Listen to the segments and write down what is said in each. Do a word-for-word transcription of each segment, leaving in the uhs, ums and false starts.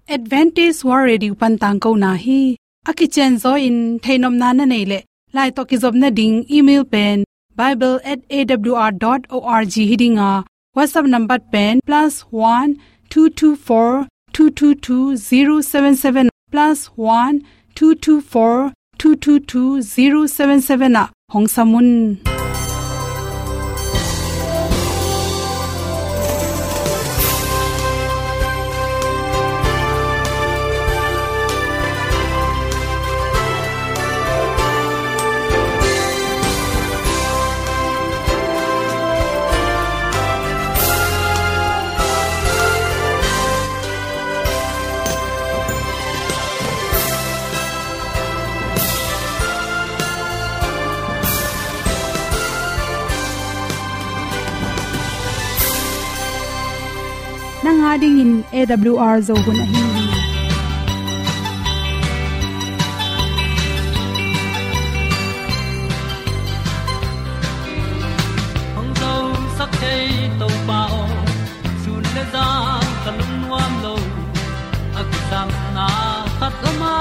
Adventist World Radio pan tangkona hi. A kicianzaw in theihnopna na neih leh, lai tawh kizopna ding email pen bible at A W R dot org hi ding a, WhatsApp number pen plus one two two four two two two zero seven seven, plus one two two four two two two zero seven seven ah hong sam un. Nang a dingin A W R Zo hun ahi hi. Hong zosak thei Topa aw, sun le zan ka lungnuam lo. A kisapna khat om a,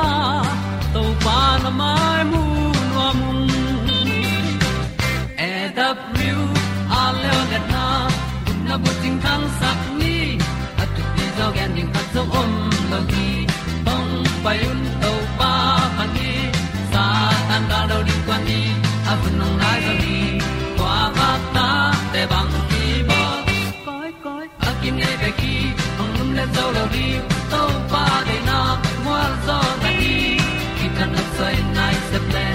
Topa na mai mu nuam ung. A W R Zo liatna, gupna bucing thangsak ni. A thupi zaw gen ding khat zong om lo hi. Hong pai un Topa phat ni. Satan gal lo ding kuan ni. A hun hong nai zo hi. Kua bak ta te bang ki bawl. Koi, koi, a kinei bek hi, hong lumlet zo lo ding. Topa deihna mual zaw na hi. Kitang a soi nai sep le,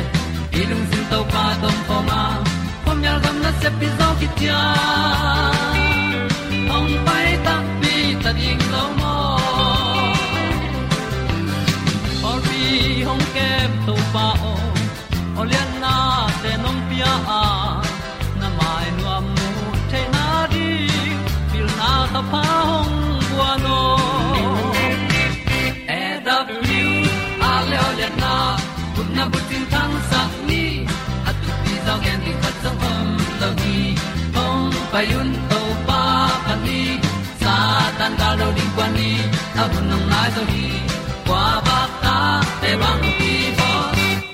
i lungsim Topa tawh om khawm a, khuamial gam nasep pi zaw khit ciang, hong pai takpi ta ding lo maw. Pawlpi hong kem Topa aw, aw liatnate nong pia a, na mai nuam mu theihna ding, pilna thapha hong guan aw. A W R Zo liatna, gupna bucing thangsak ni. A thupi zaw gen ding khat zong om lo hi. Hong pai un Topa phat ni. Satan gal lo ding kuan ni. A hun hong nai zo hi. Kua bak ta te bang ki bawl.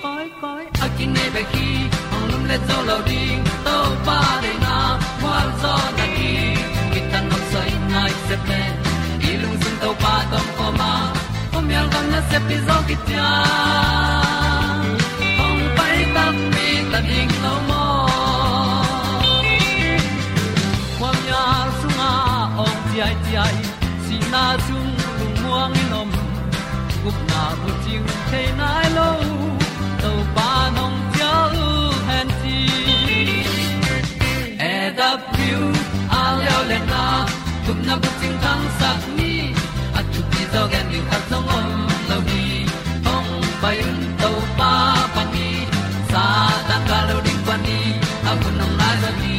Koi, koi, a kinei bek hi, hong lumlet zo lo ding. Topa deihna mual zaw na hi. Kitang a soi nai sep le, i lungsim Topa tawh om khawm a, khuamial gam nasep pi zaw khit ciang, hong pai takpi ta ding lo maw. Khuamial sungah awng ciaiciai, sihna sung lungmuang in om, gupna bucing thei nai lo, Topa nong cial hen ci. A W R Zo liatna, gupna bucing thangsak ni. A thupi zaw gen ding khat zong om lo hi. Hong pai un Topa phat ni. Satan gal lo ding kuan ni. A hun hong nai zo hi.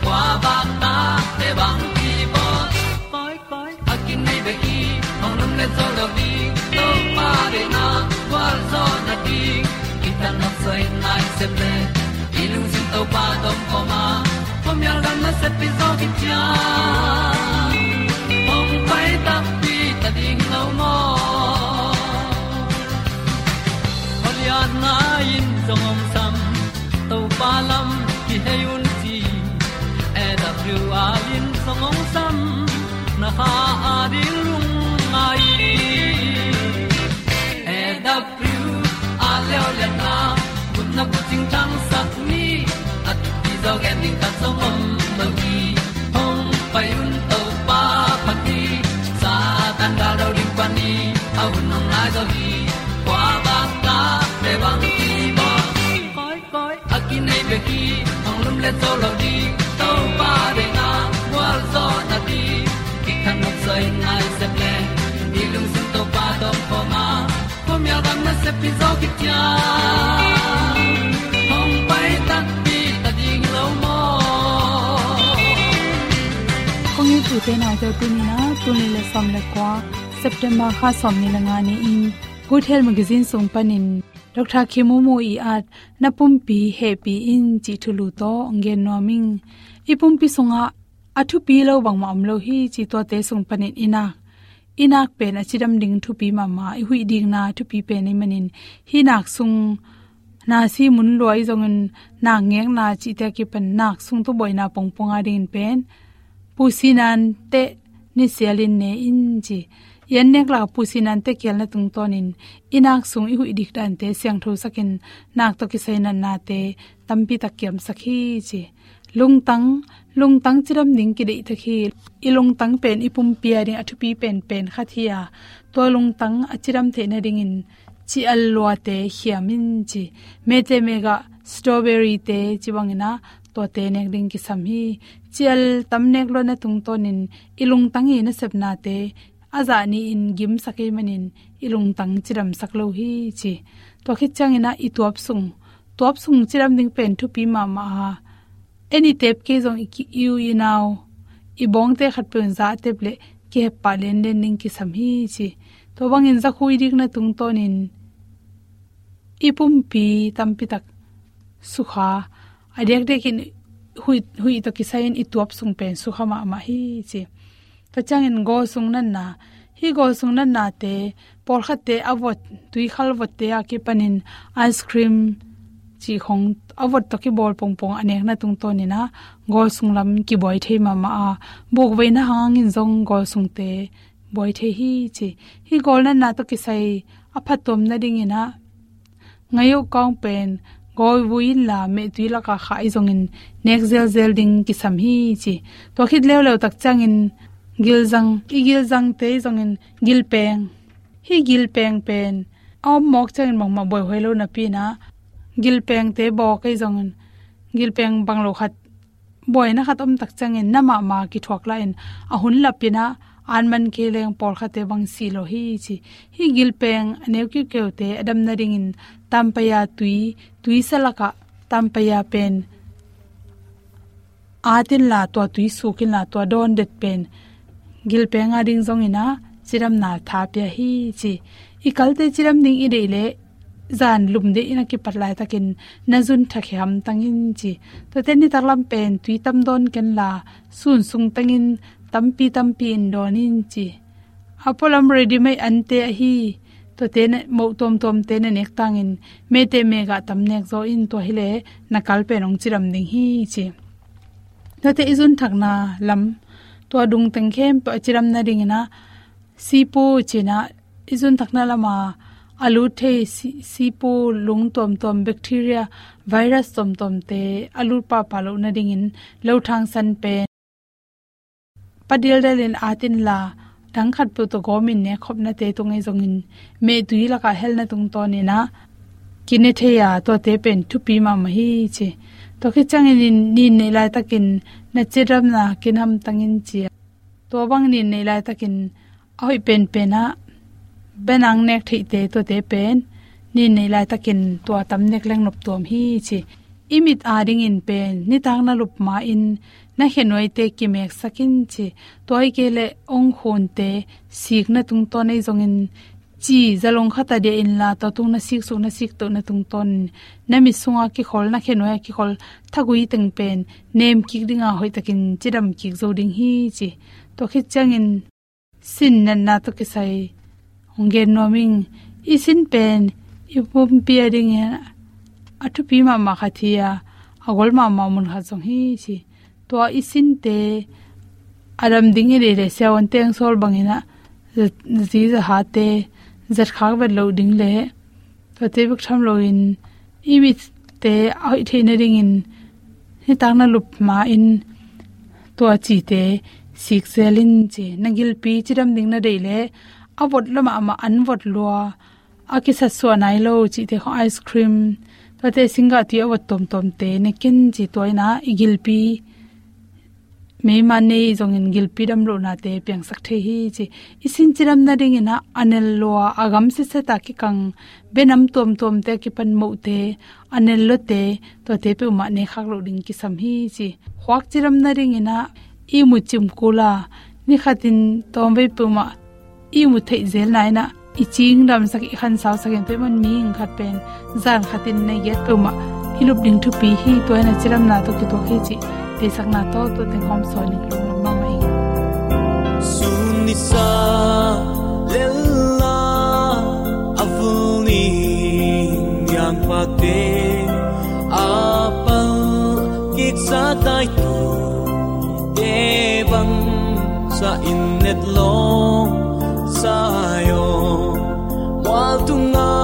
Kua bak ta te bang ki bawl. Koi, koi, a kinei bek hi, hong lumlet zo lo ding. Topa deihna gualzawhna ding, kitang a soi nai sep le, i lungsim Topa tawh om khawm a, khuamial gam nasep pi zaw khit ciang, hong pai takpi ta ding lo maw. Khualiatna in zong hong sam, Topa lam kihei un ci. A W R in zong hong sam, na kha a ding lungngai. A W R Zo liatna, gupna bucing thangsak ni. A thupi zaw gen ding khat zong om lo hi. Hong pai un Topa phat ni. Satan gal lo ding kuan ni. A hun hong nai zo hi. Kua bak ta te bang ki bawl. Koi, koi, a kinei bek hi, hong lumlet zo lo ding. Topa deihna gualzawhna ding, kitang a soi nai sep le, i lungsim Topa tawh om khawm a, khuamial gam nasep pi zaw khit ciang, hong pai takpi ta ding lo maw. Kong it u te nau te, tuni in ah, tul nih le sawm le kua, September kha sawmnih le nga ni-in, Good Health Magazine sung panin Doctor Khein Mung Mung Ih At Na Pumpi Hehpih In cih thulu tawh hong gen nuam ing. I pumpi sungah a thupi lo bangmah om lo hi cih tuate sung panin i nak i nak pen a cidam ding thupi mahmah, i huih dikna thupi pen ahih manin, hih nak sung nasi mun lua i zongin, nak ngekna cihte a kipan nak sung tawh buaina pongpong a dingin pen, pusinante nisialin ne in ci. I an nek lak a pusinante kialna tungtawnin, i nak sung i huih dik dante siangthosakin, nak tawh kisai natnate tampi tak kiamsak hi ci. Lungtang, lungtang cidam ding kideihtak hi. I lungtang pen i pumpi a ding a thupi penpen khat hi a, tua lungtang a cidam theih nadingin, ci-al luate khiam in ci. Mete megah, strawberry-te ci bangin ah, tuate nek ding kisam hi. Ci-al tam nek luatna tungtawnin, i lungtang i nasepnate a zah nih in gimsak ahih manin, i lungtang cidamsak lo hi ci. Tua khit ciangin ah i tuap sung, tuap sung cidam ding pen thupi mahmah a, en i tep kei zong i ki-, i u i nau, i bawngte khatpeuh in zah a tep leh kihep pah lenlen ding kisam hi ci. Tua bangin zakhu i dikna tungtawnin, i pumpi tampi tak sukha, a diakdiakin huih, huih tawh kisai-in i tuap sung pen sukha mahmah hi ci. Tua ciangin gawl sung natna, hih gawl sung natnate, pawlkhatte a vot, tuikhal votte a kipanin ice cream cih khong a vot tawh kibawl pongpong a nekna tungtawnin ah, gawl sung lam kibuai thei mahmah a, bukveina hangin zong gawl sungte buai thei hi ci. Hih gawl natna tawh kisai a phattuam nadingin ah, ngaih uh kawng pen, gawl vui inla mehtui lak a khah i zongin nek zelzel ding kisam hi ci. Tua khit leuleu tak ciangin gilzang, i gilzangte i zongin gilpeng. Hih gilpeng pen a om mawk ciangin bangmah buaihuai lo napi-in ah, gilpengte bawk i zongin, gilpeng bang lo khat buaina khat om tak ciangin na mahmah kithuak lai-in, a hun lapin ah an man kei leng pawlkhatte bang si lo hi ci. Hih gilpeng a neu kiukeute a dam nadingin tampaya tui, tuisa lakah tampaya pen at inla, tua tui suk inla, tua dawn det pen gilpeng a ding zongin ah cidamna tha pia hi ci. I kalte cidam ding i deih leh, zan lum deih in a kipat laitakin na zun thak hi hamtang in ci. Tuate nitak lam pen tui tam dawn kenla, sun sung tengin tampi tampi in dawn in ci. A pualam ready-made ante ahi, tuate na, moh tuamtuamte na nek tangin, mete megah tam nek zaw in, tua hileh na kal pen hong cidam ding hi ci. Tuate i zun thakna lam, tua dung teng khempeuh a cidam nadingin ah, sipu ci-in ah, i zun thakna lam a a lut thei si-, sipu lung tuamtuam, bacteria, virus tuamtuamte a lut pahpah loh nadingin, lothang san pen pa dialdialin at inla, dang khatpeuh tawh gawmin nek khopnate tung ahi zongin, mehtui lakah helna tungtawnin ah kine thei a, tuate pen thupi mahmah hi ci. Tua khit ciangin nin neih laitakin na cidamna kin hamtang in ci a. Tua bang nin neih laitakin a hoih penpen ah, benang nek theihte, tuate pen nin neih laitakin tua tam nek leng noptuam hi ci. I mit a dingin pen nitak na lup ma-in na khenuaite kimeksak in ci. Tua hi kei leh ongkhunte sikna tungtawn ahi zongin, ci zalong khat a dia inla, tua tung na siksuk, na siktohna tungtawnin, na mit sunga kikhol, na khenuai a kikhol thagui teng pen nem kik dinga, hoihtakin cidam kik zo ding hi ci. Tua khit ciangin sin natna tawh kisai hong gen nuam ing. I sin pen i pumpi a dingin a thupi mahmah khat hi a, a gol mahmah mun khat zong hi ci. Tua i sinte a dam ding i deih leh, siavuante hong sawl bangin ah, za-, zi zahate zat khak vet loh ding leh, tuate bek tham loin, i mitte a hoih theih nadingin nitak na lup ma-in tua cite sik zel in ci. Na gilpi cidam ding na deih leh, a vot lua mahmah, an vot lua, a kisatsuah nai lo cihte khong, ice cream, tuate singgah tui a vot tuamtuamte ne ken ci. Tua in ah i gilpi, meima nei zongin gilpi damlohnate piangsak thei hi ci. I sin cidam nadingin ah a nel lua, a gam setset a kikang, benam tuamtuamte a kipan mohte, a nel luate, tuate peuhmah ne khak loh ding kisam hi ci. Khuak cidam nadingin ah ihmu cim kul a, ni khatin tawmvei peuhmah ihmu theih zelna in ah, i cingdamsak, i khansausak in, tua ahih man mihing khat pen zan khatin na i giat peuhmah i lup ding thupi hi. Tua in ah cidamna tawh kituak hi cih deihsakna tawh tua teng hawm sawn ning, lungdam mahmah ing. Sun nisa Tel a a vul ning yang pakte a pal kik sa taitute bang sa in et lawm Zion mual tunga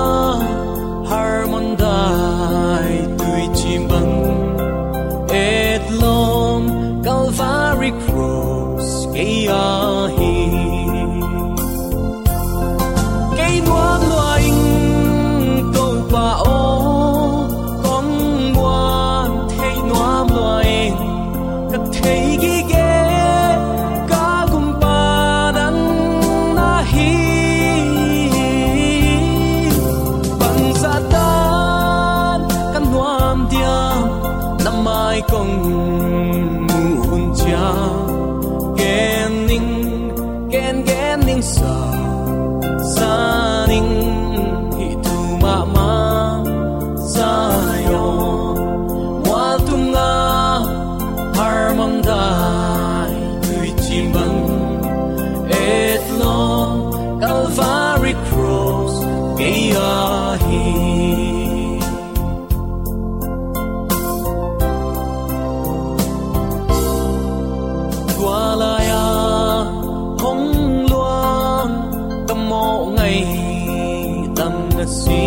Hermon dai tuicim bang et lawm Calvary Cross kei ahi. Kei nuam lua ing Topa aw, kong muan thei nuam lua ing, ka thei gige ka gumpa nang na hi. Bangzah tan ka nuam diam, na mai kong muh hun ciang, gen ning, gen gen ning sa, sa ning hih thu mahmah. Zion mual tunga Hermon dai tuicim bang et lawm Calvary Cross kei ahi. Tua lai-a hong luang ka mawh ngaih tam na si,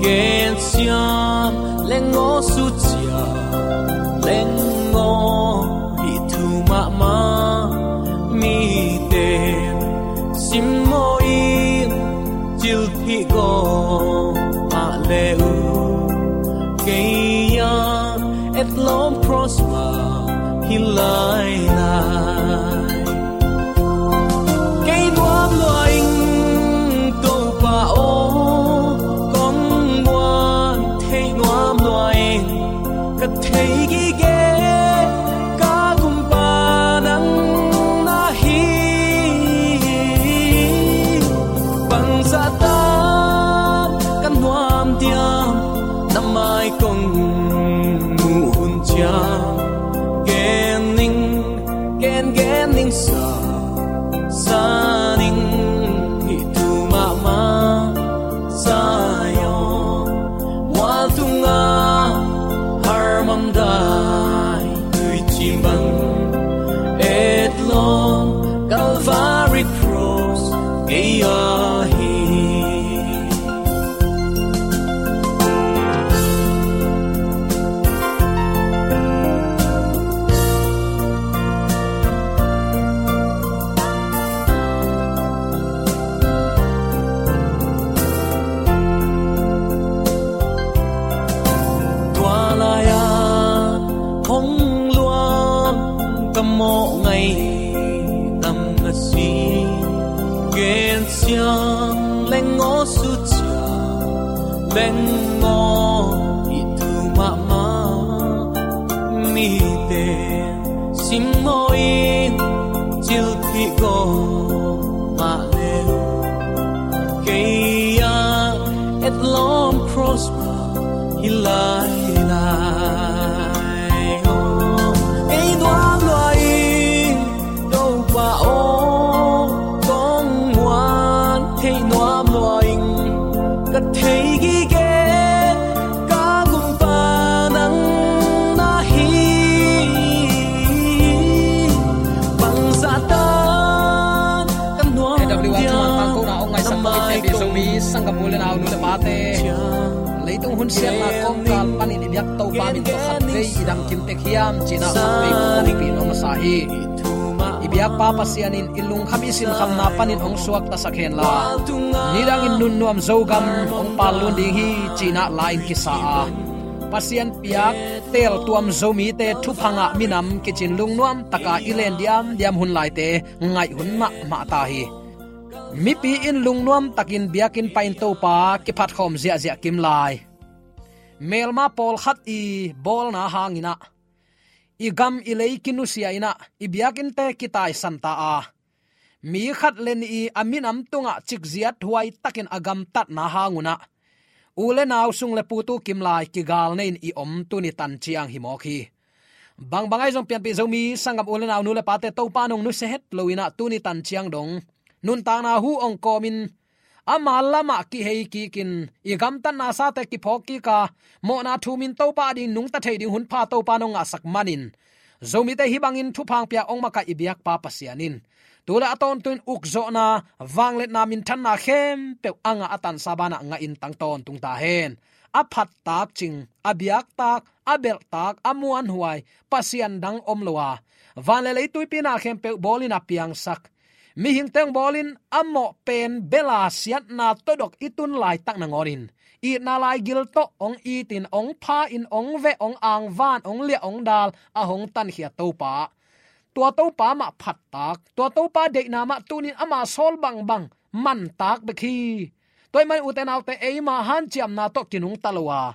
gensiam leng aw, sucia leng aw, hih thu mahmah. Mite simmawh in cilphih gawp mah le uh, kei a etlawm cross mah hi lailai. Kei nuam lua ing Topa aw, kong muan thei nuam lua ing, ka thei gige ka gumpa nang na hi. Bangzah tan ka nuam diam, na mai kong muh hun ciang, gen ning, gen gen ning sa, sa ning hih thu mahmah. Zion mual tunga Hermon dai tuicim bang et lawm Calvary Cross kei ahi. Tua lai-a hong luang ka mawh ngaih tam na si, gensiam leng aw, sucia leng aw, hih thu mahmah. Mite simmawh in cilphih gawp mah le uh, kei a etlawm cross mah hi lailai. Kei nuam lua ing Topa aw, kong muan thei nuam lua ing, ka thei gige ka gumpa nang na hi. Bangzah tan ka nuam diam, A W R Tangkona hong ngaihsak kong i pianpih Zomi sanggam u le nau, nu le pate, leitung hun siatna kawmkal panin i biak Topa min tawh khatvei i dam kim tek hiam cih na khatvei kong kawkpih nuam masa hi. I biakpa Pasian in i lungkham i sinkhamna panin hong suaktasak henla, nidangin nunnuam Zogam hong pallun ding hi cih na la-in kisa a, Pasian piak teeltuam Zomite thupha ngah minam kicin lungnuam taka i len diamdiam hun laite ngaih hun mahmah ta hi. Mipi in lungnuam takin biakinn panin Topa kiphatkhawm ziahziah kim lai. Melma pawlkhat i bawlna hangin ah, i gam i lei kinusia in ah, i biakinnte kitaisan ta a, mi khat le nih i a minam tungah cikziat huai takin a gamtatna hang un ah, u le nau, sung le pu tu kim lai kigal nei-in i om tuni tan ciang hi mawk hi. Bangbang ahi zong pianpih Zomi sanggam u le nau, nu le pate, Topa in hong nusia het lo in ah tuni tan ciang dong nuntakna hu hong kawmin ama lamah kihei kikin i gamtatna sate kiphawk kika mawhna thumin Topa ading nungta thei ding hun pha Topa nong ngahsak manin Zomite hih bangin thupha hong pia hong makaih i biakpa Pasian in tu le a tawntung in ukzawhna, vangliatna, minthanna khempeuh a ngah a tansa banah ngahin tang tawntung ta hen. A phattak cing, a biaktak, a belhtak, a muanhuai Pasian dang om lo a, van le leituipi na khempeuh bawlin a piangsak, mihingte hong bawlin a mawh pen bela siatna tawdok i tun laitak nangawnin itna laigil tawh hong itin, hong pha-in, hong veh, hong angvan, hong liah, hong dal a hong tankhia Topa, tua Topa mah phattak, tua Topa deihna mah tunin ama sawl bangbang mantak bek hi. Tua ahih manin ute naute, eima hanciamna tawh kinungta lo a,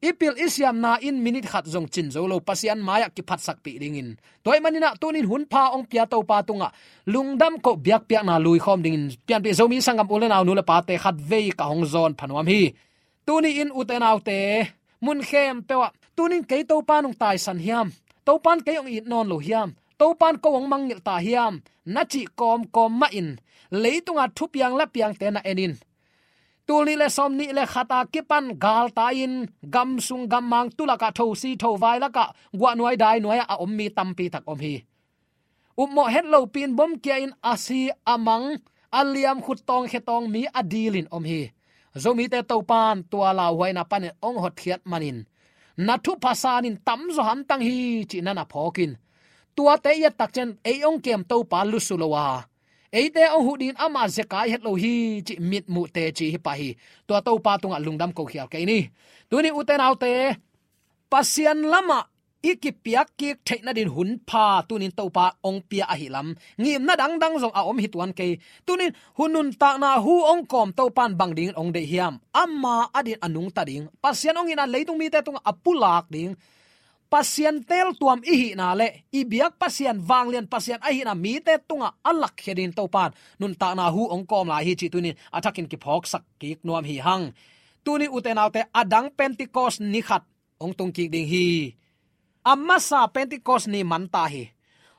i pil i siamna in minit khat zong cin zo lo, Pasian mai-ah kiphatsakpih dingin. Tua ahih maninah tunin hun pha hong pia Topa tungah lungdam koh biakpiakna luikhawm dingin pianpih Zomi sanggam u le nau, nu le pate khatvei ka hong zawn pha nuam hi. Tuni-in ute naute, mun khempeuh ah tunin kei Topa nong taisan hiam? Topan kei hong it nawn lo hiam? Topan ko hong mangngilh ta hiam? Na cih kawmkawm mahin leitunga thupiang lapiangte na enin, tul nih le sawm nih le khat a kipan galtai-in gamsung gammang tulakah, thosi thovai lakah, guahnuai dainuai-ah a om mi tampi tak om hi. Upmawh het lopi-in bomkia-in a si a mang, a liam, khut tawng khe tawng mi a dilin om hi. Zomite Topan tua lauhuaina panin hong hotkhiat manin na thupha sanin tamzaw hamtang hi cih na na phawkin, tuate i ettak ciang ei hong kem Topa lusu lo a, eite hong huh dingin ama zekai het lo hi cih mitmuh teci hi pah hi. Tua Topa tungah lungdam ko khial kei ni. Tuni ute naute, Pasian lamah i kipiak kik theih nadin hun pha tunin Topa hong pia ahi lam, ngimna dangdang zong a om hi tuan kei. Tunin hun nuntakna hu hong kawm Topan bang dingin hong deih hiam? Ama adin a nungta ding, Pasian hong itna leitung mite tungah a pulak ding, Pasian teeltuam i hihna le i biak Pasian, vanglian Pasian ahihna mite tungah a lakkhia dingin Topan nuntakna hu hong kawm lai hi cih tunin a thakin kiphawksak kik nuam hi hang. Tuni ute naute, a dang Pentecost ni khat hong tung kik ding hi. A masa Pentecost ni man ta hi.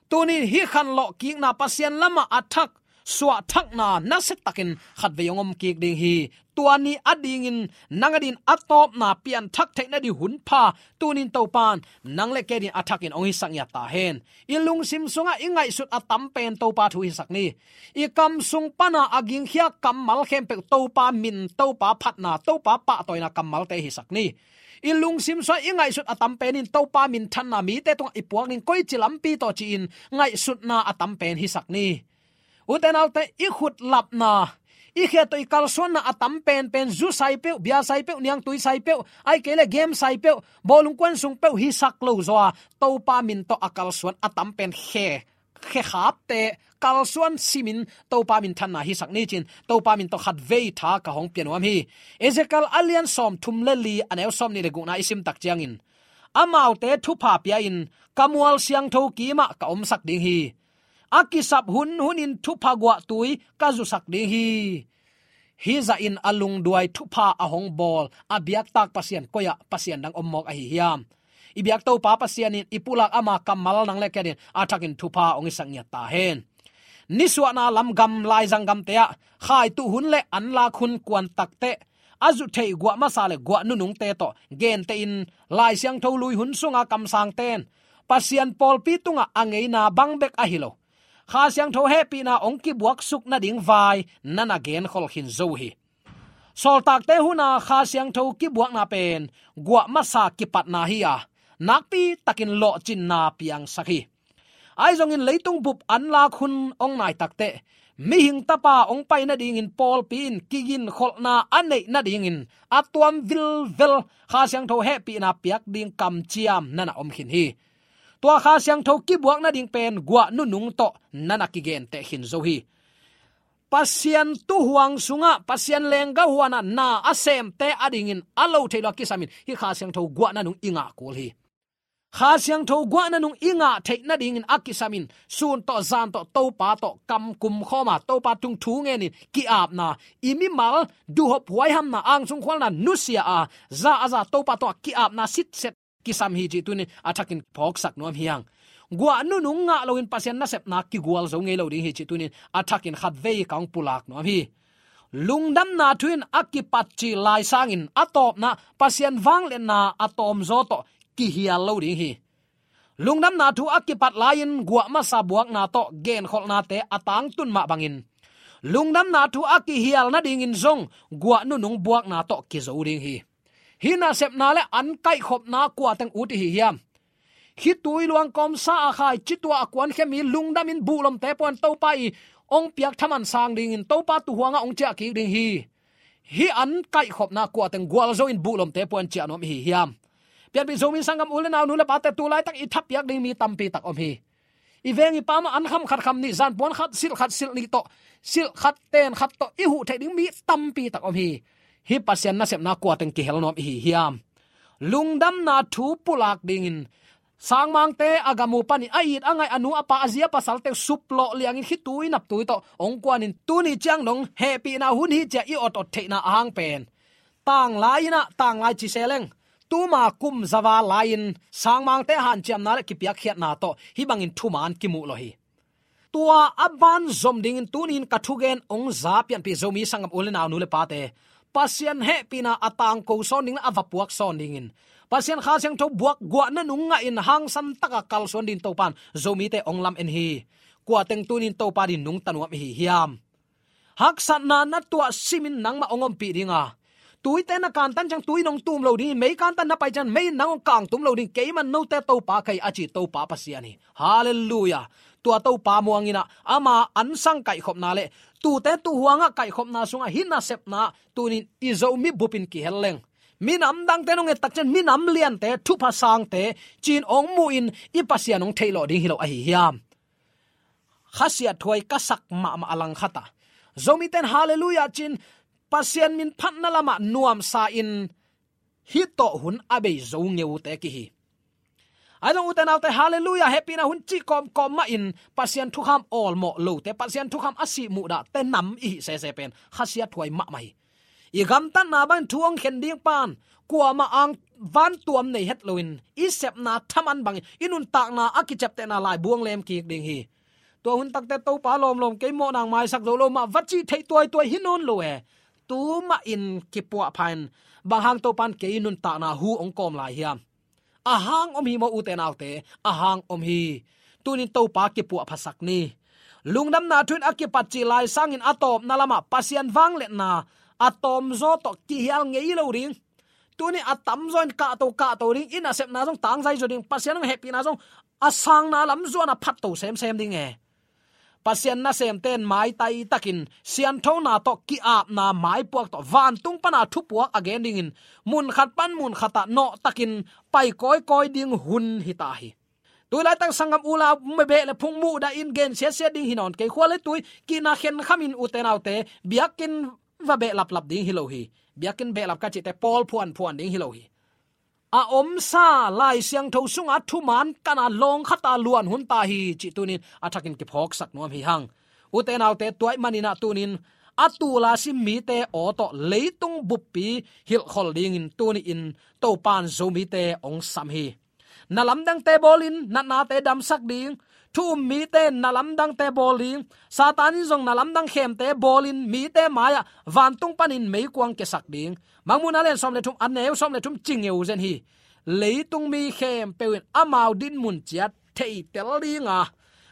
Tunin hih khanlawh kikna, Pasian lamah a thak suahthakna nasiatakin khatvei hong om kik ding hi. Tua ni adingin nang adin a tawpna pianthak theih nading hun pha tunin Topan nang le kei adin a thakin hong hisak ngiat ta hen. I lungsim sungah i ngaihsut a tam pen Topa thu hisak ni. I kam sung pana a gingkhia kammal khempeuh Topa min, Topa phatna, Topa pahtawina kammalte hisak ni. I lungsim sungah i ngaihsut a tam pen in Topa minthanna mite tungah i puak ding, koici lampi tawh ci-in ngaihsutna a tam pen hisak ni. Ute naute, i khutlapna, i khe tawh i kalsuanna a tam penpen zu sai peuh, bia sai peuh, niangtui sai peuh, ahih kei leh game sai peuh, bawlung kuan sung peuh hisak lo zaw a, Topa min tawh a kalsuan a tam pen khe, khe khapte kalsuan simin Topa minthanna hisak ni cin, Topa min tawh khatvei tha ka hong pia nuam hi. Ezekiel a lian sawmthum le li, a neu sawmnih le gukna i simtak ciangin, amaute thupha pia-in ka mual siangtho kimah ka omsak ding hi. A kisap hunhunin thupha guahtui ka zusak ding hi. Hih zahin a lungduai thupha a hong bawl a biaktak Pasian koi-ah Pasian dang om mawk ahi hiam? I biak Topa Pasian in i pulak ama kammal nang le kei adin a thakin thupha hong hisak ngiat ta hen. Nisuahna lam gam, laizang gamte ah khaituh hun le anlak hun kuan takteh a zuh theih guah masa le guah nunungte tawh gentehin Lai Siangtho lui hun sunga kamsangten Pasian pawlpi tungah a ngeina bang bek ahi lo, Kha Siangtho hehpihna hong kibuaksuk nading vai na na genkhol khin zo uh hi. Sawltakte huna Kha Siangtho kibuakna pen guah masa kipatna hi a, nakpi takin lawhcinna piangsak hi. Ahi zongin leitung bup anlak hun hong nai takteh mihing tapa hong pai nadingin pawlpi in kiginkholhna a neih nadingin a tuam vilvel Kha Siangtho hehpihna piak ding kamciam na na om khin hi. Tua Kha Siangtho kibuak nading pen guah nunung tawh na na kigenteh khin zo hi. Pasian tuuhuang sungah Pasian lenggah huanah na a semte adingin a lo theih lo a kisamin hih Kha Siangtho guah nanung i ngah kul hi. Kha Siangtho guah nanung i ngah theih nadingin a kisamin sun tawh zan tawh Topa tawh kam kumkhawma, Topa tung thu ngenin ki-apna, i mimal duhhop huaihamna, angsung khualna nusia a, za a za Topa tawh ki-apna sitset kisam hi cih tunin a thakin phawksak nuam hi hang. Guah nunung ngah loin Pasian nasepna kigual zo ngei lo ding hi cih tunin a thakin khatvei ka hong pulak nuam hi. Lungdamna thu in a kipat cih lai sangin a tawpna Pasian vangliatna a tawmzaw tawh kihial lo ding hi. Lungdamna thu a kipat lai-in guah masa buakna tawh genkholhnate a tangtun mah bangin lungdamna thu a kihial nadingin zong guah nunung buakna tawh kizo ding hi. Hih nasepna le an kaihkhopna kua teng ut i hi hiam? Khitui luang kawmsa a khai citua a kuankhia mi lungdamin buhlomte puan Topa i hong piak thaman sang dingin Topa tuhuangah hong ciah kik ding hi. Hih an kaihkhopna kua teng gualzo in buhlomte puan ciah nuam i hi hiam? Pianpih Zomi sanggam u le nau, nu le pate, tu laitak i thapiak ding mi tampi tak om hi. I veng i pam ah an kham khat kham nih, zan puan khat silh khat silh nih tawh, silh khat ten khat tawh i huh theih ding mi tampi tak om hi. Hih Pasian nasepna kua teng kihel nuam i hi hiam? Lungdamna thu pulak dingin sangmangte a gam uh panin a it a ngaih a nu a pa a zi a pasalte uh suplawh liangin khitui naptui tawh hong kuanin tuni ciang dong hehpihna hun hi ci-a i ot ot theihna ahang pen tanglai in ah tanglai ci se leng tuma kum zava lai-in sangmangte hanciamna le kipiakkhiatna tawh hih bangin thuman kimuh lo hi. Tua a ban zom dingin tunin ka thugen hong za pianpih Zomi sanggam u le nau, nu le pate, Pasian hehpihna a tangko sawn ding le a va puak sawn dingin Pasian Kha Siangtho buak guah nunung ngahin hangsan taka kalsuan dingin Topan Zomite hong lam en hi. Kua teng tunin Topa din nungta nuam i hi hiam? Haksatna na tuah simin nangmah hong ompih ding a, tuite na kantan ciang tui in hong tum lo ding hi, mei kantan na pai ciang mei in nang hong kangtum lo ding, keiman note Topa ka hi a ci Topa Pasian hi. Halleluiah. Tua Topa muang in ah ama ansang kaihkhopna le tute tuhuangah kaihkhopna sungah hih nasepna tunin i Zomi bupin kihel leng minam dangte nong et tak ciang minam liante, thupha sangte ci-in hong muhin i Pasian hong theih lawh ding hi lo a hi hiam? Khasiat thuai ka sak mahmah a langkhat ah Zomite in halleluiah ci-in Pasian min phatna lamah nuamsa-in hih tawh hun a bei zo ngeute kihi. Ahi zong ute naute, halleluiah hehpihna hun cih kawmkawm mahin Pasian thukham awlmawh lote, Pasian thukham a sih muhdahte nam i hih sese pen khasiat thuai mahmah hi. I gamtatna bangin thu hong khen ding pan kuamah ang vantuam nei het loin i sepna thaman bangin i nuntakna a kiciaptehna lai buang lem kik ding hi. Tua hun takte Topa lawmlawm kei mawh nang maisak zo lo mah va cih theih tuaituai hi nawn lo e. Tu mahin kipuahpha in bang hang Topan kei nuntakna hu hong kawm lai hiam? A hang om hi maw ute naute? A hang om hi. Tunin Topa kipuahphasak ni. Lungdamna thu in a kipat cih lai sangin a tawpna lamah Pasian vangliatna a tawmzaw tawh kihial ngei lo ding. Tuni a tamzaw in kahto kahto ding, i nasepna zong tangzai zaw ding, Pasian hong hehpihna zong a sangna lam zuan a phatto semsem ding e. Pasian nasemte in maitai takin sianthona tawh ki-apna maipuak tawh vantung pana thupuak a gen dingin munkhat pan munkhatah nawhtakin pai kawikawi ding hun hita hi. Tui laitak sanggam u le nau, beh le phung muhdahin gen siatsiat ding hi nawn kei, khua le tui kihna khenkhamin ute naute biakinn va behlaplap ding hi lo hi. Biakinn behlap ka cihte pawl phuanphuan ding hi lo hi. A omsa Lai Siangtho sunga thuman kana lawngkhata luan hun ta hi cih tunin a thakin kiphawksak nuam hi hang. Ute naute, tua ahih manin ah tunin a tul a sim mite aw tawh leitung buppi hilhkhol dingin tuni-in Topan Zomite hong sam hi. Na lamdangte bawlin natnate damsak ding, thu um mite na lamdangte bawl ding, Satan in zong na lamdang khemte bawlin mite mai-ah vantung panin meikuang kiasak ding. Mangmuhna lian sawm le thum, a neu sawm le thum ci ngeu zen hi. Leitung mi khempeuh in amau dinmun ciat theitel ding a,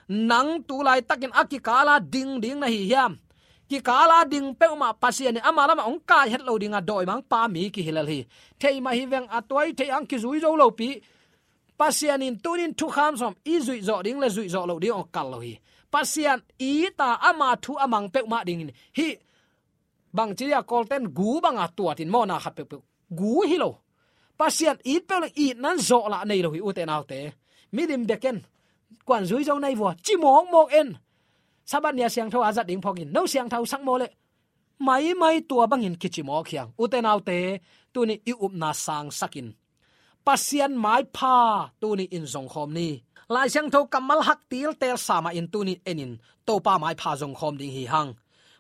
nang tu laitakin a kikala ding ding na hi hiam? Kikala ding peuhmah Pasian in ama lamah hong kai het lo ding a, dawimangpa mi kihi lel hi. Thei mah hi veng, a tuai thei ang kizui zo lopi. Pasian in tunin thukham sawm i zuih zawh ding le zuih zawh loh ding hong kal lo hi. Pasian it a ama thu a mang peuhmah dingin hih bangci a Kawlten gu banga tuatin mawhna khat peuhpeuh gu hi lo. Pasian it peuh le itna in zawhlah nei lo hi ute naute. Milim beken kuan zui zo nai vua ci mawkmawk en. Sabbath ni a siangtho a zat ding phawkin no siangtho sak maw le maimai tua bangin kici mawk hi hang. Ute naute, tuni i upna sangsakin Pasian maipha tuni in zongkhawm ni. Lai Siangtho kammal hak tiltel sa mahin tuni enin Topa maipha zongkhawm ding hi hang.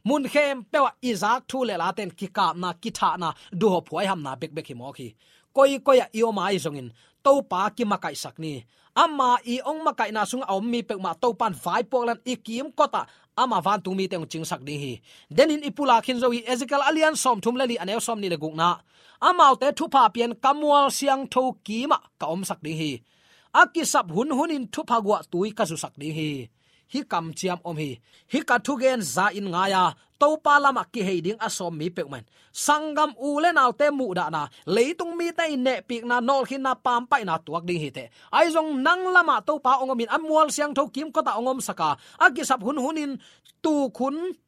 Mun khempeuh ah i zak thu le laten kikapna, kithahna, duhop huaihamna bekbek hi mawk hi. Koikoi ah i om ahi zongin Topa kimakaihsak ni. Ama i ong makaihna sungah a om mi peuhmah Topan vaipuak leng i kimkotah ama vantung mite ong cingsak ding hi. Denin i pulak khin zo hi. Ezekiel a lian sawmthum le li, a neu sawmnih le gukna, amaute thupha pian ka mual siangtho kimah ka omsak ding hi. A kisap hunhunin thupha guahtui ka zusak ding hi. Hih kamciam om hi. Hih ka thugen za in ngai a, Topa lamah kihei ding a sawm mi peuhmah in sanggam u le naute muhdahna, leitung mite i nehpikna, nawlkhinna, pampaihna tuak ding hi teh. Ahi zong nang lamah Topa ong omin a mual siangtho kimkotah ong omsak a, a kisap hunhunin tuk hun,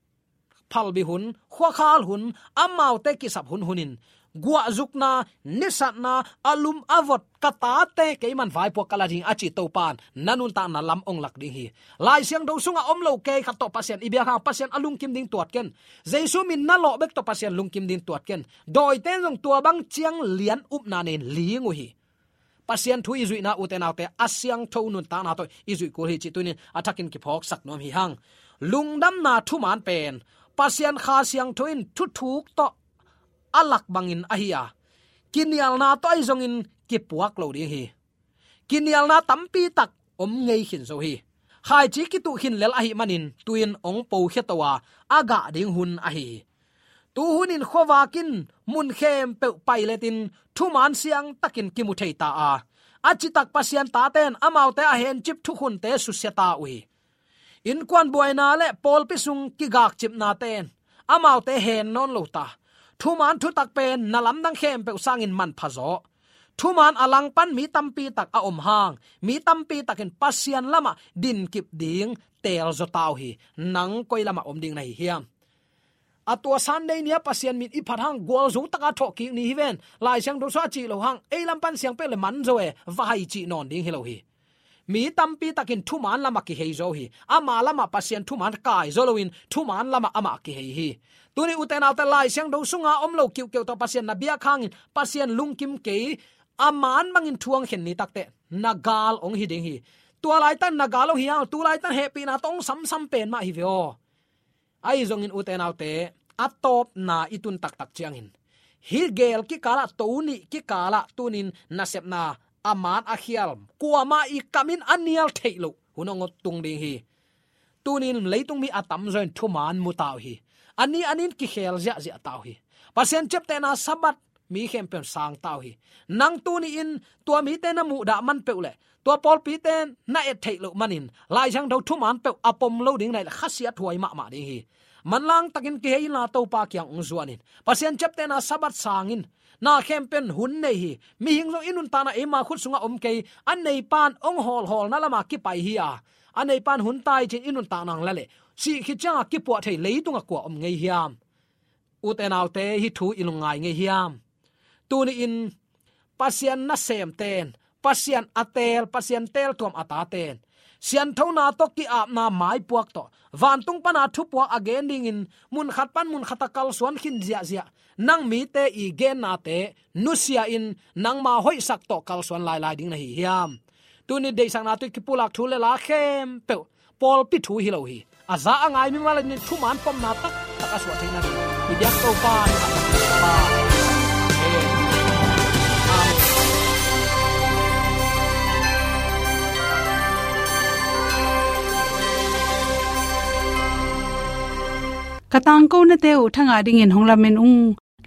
phalbi hun, khuakhal hun, amaute kisap hunhunin guahzukna, nisatna, a lum a vot ka tate keiman vaipuak ka la ding a ci Topan na nuntakna lam ong lak ding hi. Lai Siangtho sungah om lo kei khat tawh Pasian i biak hang, Pasian a lungkim ding tuat ken. Jesu min na lawh bek tawh Pasian lungkim ding tuat ken. Dawite zong tua bang ciang lian upna nei in ling uh hi. Pasian thu i zuihna, ute naute, a siangtho nuntakna tawh i zuih kul hi cih tuni-in a thakin kiphawksak nuam hi hang. Lungdamna thuman pen Pasian Kha Siangtho in thuthuk tawh a lak bangin ahi a, kinialna tawh ahi zongin kipuak lo ding hi. Kinialna tampi tak om ngei khin zo hi. Khaici kituh khin lel ahih manin tu-in ong pokhia to a, a gah ding hun ahi hi. Tu hunin khuavak in mun khempeuh pailetin thuman siangtakin kimu thei ta a, a citak Pasian tate in amaute a hencip thukhunte susia ta uh hi. Innkuan buaina le pawlpi sung kigakcipnate in amaute hen nawn lo ta. Thuman thutak pen na lamdang khempeuh sangin manpha zaw. Thuman a langpan mi tampi tak a om hang, mi tampi takin Pasian lamah dinkip ding teel zaw ta uh hi. Nang koi lamah om ding na hi hiam? A tua Sunday ni-a Pasian min i phat hang gualzo taka thawhkik ni hi ven. Lai Siangtho sungah a cih loh hang, ei lam pan siang peuh le man zo e, va hai cih nawn ding hi lo hi. Mi tampi takin thuman lamah kihei zaw hi. Ama lamah Pasian thuman kai zaw loin thuman lamah amah kihei hi. Tuni, ute naute, Lai Siangtho sunga om lo kiuhkeuh tawh Pasian na biak hangin Pasian lungkim kei, a man bangin thu ong khen ni takteh na gal ong hi ding hi. Tua laitak na gal ong hi hang, tu laitak hehpihna tawh ong samsam pen mah hi ve aw. Ahi zongin, ute naute, a tawpna i tun taktak ciangin, hih geel kikalah, to nih kikalah tunin nasepna a man a khial, kuamah i kamin a nial theih loh hun ong tung ding hi. Tunin leitung mi a tamzaw in thuman mu ta uh hi. A ni a nin kikhel ziahziah ta uh hi. Pasian ciaptehna Sabbath mi khempeuh in sang ta uh hi. Nang tuni-in tua mite na muhdah man peuh le tua pawlpite na et theih loh manin Lai Siangtho thuman peuh a pom lo ding na hih leh khasiat huai mahmah ding hi. Manlang takin kihei inla Topa kiang ong zuan in. Pasian ciaptehna Sabbath sang in. Na khempeuh in hun nei hi. Mihing zong i nuntakna eima khut sungah om kei. A neipan ong hawlhawlna lamah kipai hi a, a neipan hun tai cin i nuntakna ong la leh, sih khit ciangah kipuah thei leitung a kua om ngei hiam? Ute naute, hih thu i lungngai ngei hiam? Tuni-in Pasian nasemte in, Pasian a teel, Pasian teeltuam a tate in, sianthona tawh ki-apna maipuak tawh, vantung pana thupuak a gen dingin mun khat pan mun khatah kalsuan khin ziahziah, nang mite i gennate nusia-in nangma hoihsak tawh kalsuan lailai ding na hi hiam? Tuni deihsakna tawh i kipulak thu le la khempeuh pawlpi thu hi lo hi. A za a ngai mimal in thuman pomna taktak a suah theihna ding i biak Topa hi. Amen. Ka tangkonate uh thangah dingin hong lamen ung.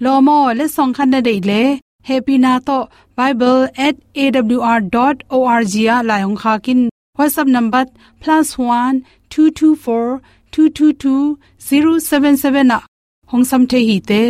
Lawm aw, letsong khat na deih leh, hehpihna tawh bible at A W R dot org ah lai hong khak in. WhatsApp number plus one two two four two two two zero seven seven ah hong sam thei hi te.